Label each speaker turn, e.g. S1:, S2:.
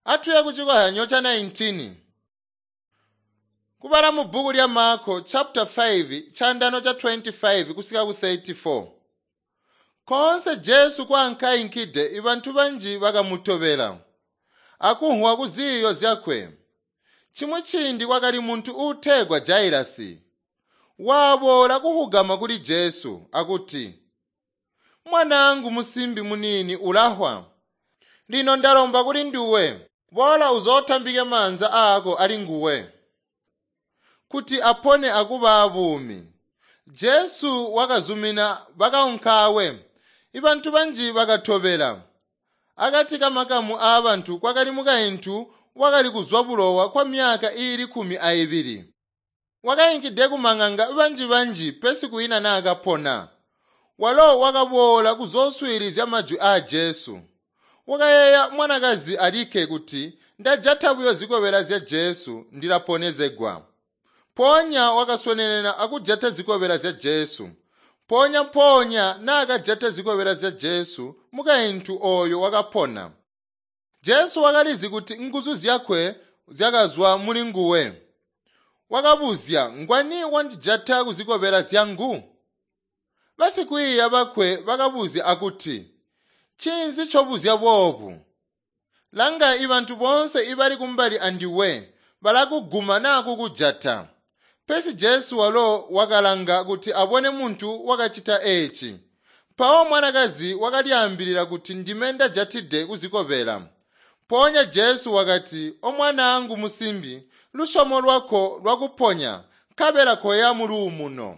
S1: Atuye kucikozyanyo ca 19. Kubala mu bbuku lya Marko chapter 5 chandano cha 25 kusika ku 34. Koonse Jesu kwaankayinkide ibantu banji bakamutobela akunhwa ku ziiyo zyakwe. Chimwi ciindi kwakali muntu uutegwa Jairasi. Waboola kuhugama kuli Jesu akuti, "Mwanaangu musimbi muniini ulahwa. Lino ndalomba kuli nduwe, boola uzotambike maanza aako ali nguwe kuti apone akuba abuumi." Jesu wakazumina bakaunkawe. Ibantu banji bakatobela. Akati kamakamu aabantu kwakali mukaintu wakali kuzwa bulowa kwa myaka iili 12. Wakayinkide kumang'anga banji-banji pesi kwiina naakapona. Walo wakaboola kuzooswiilizya majwi aa Jesu. Wakayeeya mwanakazi alikke kuti ndajata buyo zikobela zya Jesu ndilaponezegwa. Mpoonya wakaswenenena akujata zikobela zya Jesu. Mpoonya-mpoonya naakajata zikobela zya Jesu, mukaintu ooyo wakapona. Jesu wakalizi kuti nguzu zyakwe zyakazwa muli nguwe. Wakabuzya, "Ngwani wandijata kuzikobela zyangu?" Basikwiiya bakwe bakabuzya akuti, "Ncinzi ncobuzya boobu? Langa ibantu boonse ibali kumbali andiwe balakuguma naa kukujata." Pesi Jesu walo wakalanga kuti abone muntu wakacita eeci. Mpawo mwanakazi wakalyaambilila kuti, "Ndime ndajatide kuzikobela." Mpoonya Jesu wakati, "Omwanaangu musimbi, lusyomo lwako lwakuponya, nkabela koya muluumuno."